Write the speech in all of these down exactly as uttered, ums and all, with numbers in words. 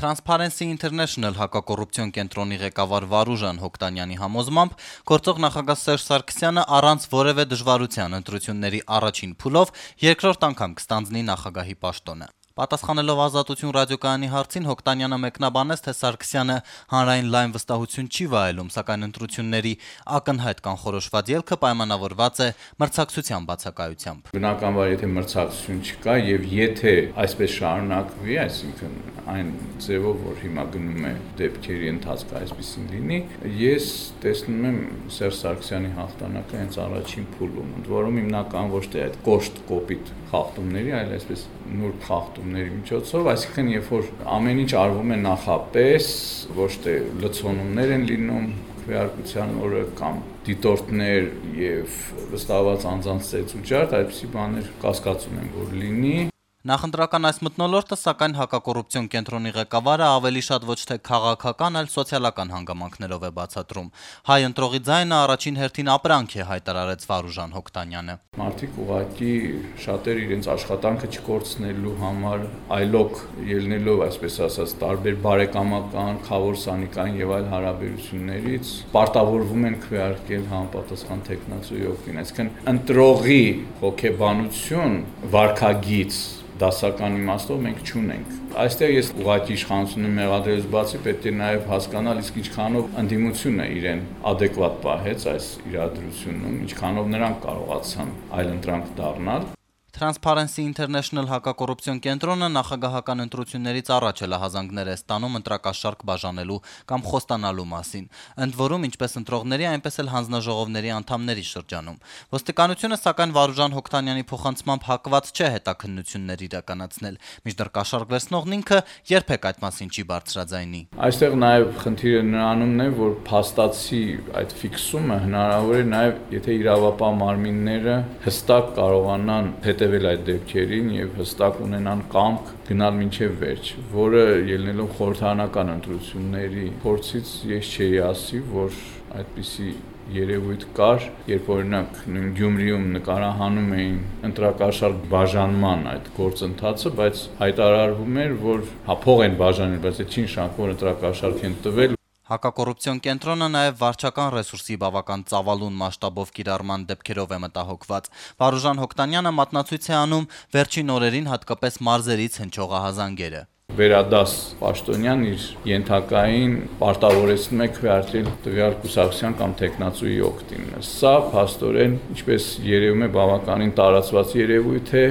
Transparency International հակակոռուպցիոն կենտրոնի ղեկավար Վարուժան Հոկտանյանի համոզմամբ գործող նախագահ Սերժ Սարգսյանը առանց որևէ դժվարության ընտրությունների առաջին փուլով երկրորդ անգամ կստանձնի նախագահի պաշտոնը։ Պատասխանելով Ազատություն ռադիոկայանի հարցին Հոկտանյանը մեկնաբանեց, թե Սարգսյանը հանրային լայն վստահություն չի վայելում, սակայն ընտրությունների ակնհայտ կանխորոշված ելքը պայմանավորված է մրցակցության բացակայությամբ։ Բնականաբար, եթե մրցակցություն չկա եւ եթե այսպես շարունակվի, այսինքն այն ձևով, որ հիմա գնում է դեպքերի ընթացքը այսպեսին լինի, ես տեսնում եմ Սերժ Սարգսյանի հաղթանակը հենց առաջին փուլում, ընդ որում հիմնական ոչ թե այդ կոշտ կոպիտ խախտումների, այլ այսպես նուրբ խախտումների միջոցով, այսինքն երբ որ ամեն ինչ արվում է նախապես, ոչ թե լցոնումներ են լինում քվեարկության օրը կամ դիտորդներ եւ վստահված անձանց ծեծուճարդ, այդպիսի բաներ կասկածում եմ, որ լինի։ Նախընտրական այս մթնոլորտը, սակայն հակակոռուպցիոն կենտրոնի ղեկավարը ավելի շատ ոչ թե քաղաքական, այլ սոցիալական հանգամանքներով է բացատրում։ Հայ ընտրողի ձայնը առաջին հերթին ապրանք է, հայտարարեց Վարուժան Հոկտանյանը։ Մարդիկ ուղղակի շատերը իրենց աշխատանքը չկորցնելու համար, այլոք ելնելով, այսպես ասած, տարբեր բարեկամական, խավոր սանիկային եւ այլ հարաբերություններից պարտավորվում են քվեարկել համապատասխան տեխնացուի օգտին։ Այսինքն ընտրողի հոգեբանություն, վարքագիծ դասական իմաստով մենք չունենք։ Այստեղ ես ուղղակի իշխանությունը մեղադրելուց բացի պետք է նաև հասկանալ, իսկ ինչքանով ընդդիմությունը իրեն adekvat պահեց այս իրադրությունում, ինչքանով նրանք կարողացան այլընտրանք դառնալ։ Transparency International հակակոռուպցիոն կենտրոնը նախագահական ընտրություններից առաջ հլահազանգներ է ստանում ընտրակաշարք բաժանելու կամ խոստանալու մասին, ընդ որում ինչպես ընտրողների, այնպես էլ հանձնաժողովների անդամների շրջանում։ Ոստիկանությունը, սակայն Վարուժան Հոկտանյանի փոխանցմամբ հակված չէ հետաքննություններ իրականացնել, մինչդեռ կաշառք վերցնողն ինքը երբեք այդ մասին չի բարձրաձայնի։ Այստեղ նաև խնդիրը նրանումն է, որ փաստացի այդ ֆիքսումը հնարավոր է նաև, եթե իրավապահ մարմինները հստակ կարողանան հետևել այդ դեպքերին եւ հստակ ունենան կամք գնալ մինչեւ վերջ, որը ելնելով խորհրդարանական ընտրությունների փորձից ես չէի ասի, որ այդպիսի երևույթ կար, երբ օրինակ նույն Գյումրիում նկարահանում էին ընտրակաշառք բաժանման այդ գործընթացը, բայց հայտարարվում էր, որ հա փող են բաժանել, բայց այդ չի նշանակում, որ ընտրակաշառք են տվել։ Հակակոռուպցիոն կենտրոնը նաև վարչական ռեսուրսի բավական ծավալուն մասշտաբով կիրառման դեպքերով է մտահոգված։ Վարուժան Հոկտանյանը մատնացույց է անում վերջին օրերին հատկապես մարզերից հնչող ահազանգերը։ Վերադաս պաշտոնյան իր ենթակային պարտավորեցնում է քվեարկել տվյալ կուսակցության կամ տեխնացուի օգտին։ Սա փաստորեն, ինչպես երևում է, բավականին տարածված երևույթ է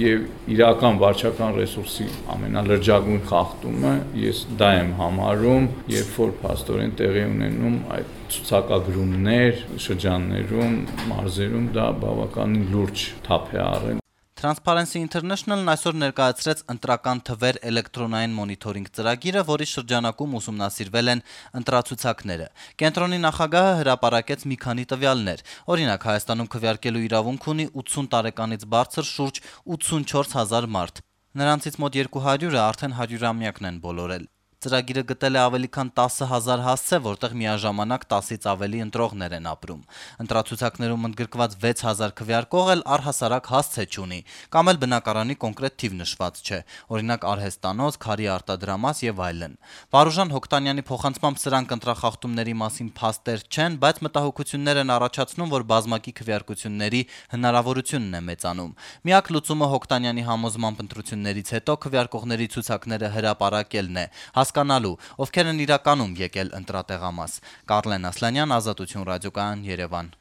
եւ իրական վարչական ռեսուրսի ամենալրջագույն խախտումը ես դա եմ համարում, երբ որ փաստորեն տեղի ունենում այդ ցուցակագրումներ շրջաններում, մարզերում դա բավականին լուրջ թափ է առել։ Transparency International-ն այսօր ներկայացրեց ընտրական թվեր էլեկտրոնային մոնիթորինգ ծրագիրը, որի շրջանակում ուսումնասիրվել են ընտրացուցակները։ Կենտրոնի նախագահը հրապարակեց մի քանի տվյալներ։ Օրինակ, Հայաստանում քվեարկելու իրավունք ունի ութսուն տարեկանից բարձր շուրջ ութսունչորս հազար մարդ։ Նրանցից մոտ երկու հարյուրը արդեն հարյուրամյակն են բոլորել։ Ծրագիրը գտել է ավելի քան տասը հազար հասցե, որտեղ միաժամանակ տասից ավելի ընտրողներ են ապրում։ Ընտրացուցակներում ընդգրկված վեց հազար քվեարկող էլ առհասարակ հասցե չունի, կամ էլ բնակարանի կոնկրետ թիվ նշված չէ, օրինակ արհեստանոց, քարի արտադրամաս եւ այլն։ Վարուժան Հոկտանյանի փոխանցմամբ սրանք ընտրախախտումների մասին փաստեր չեն, բայց մտահոգություններ են առաջացնում, որ բազմակի քվեարկությունների հնարավորությունն է մեծանում։ Միակ լուծումը Հոկտանյանի համոզմամբ ընտրություններից հետո քվեարկողների ցուցակները հրապարակելն է, հասկանալու, ովքեր են իրականում եկել ընտրատեղամաս։ Կարլեն Ասլանյան, Ազատություն ռադիոկայան, Երևան։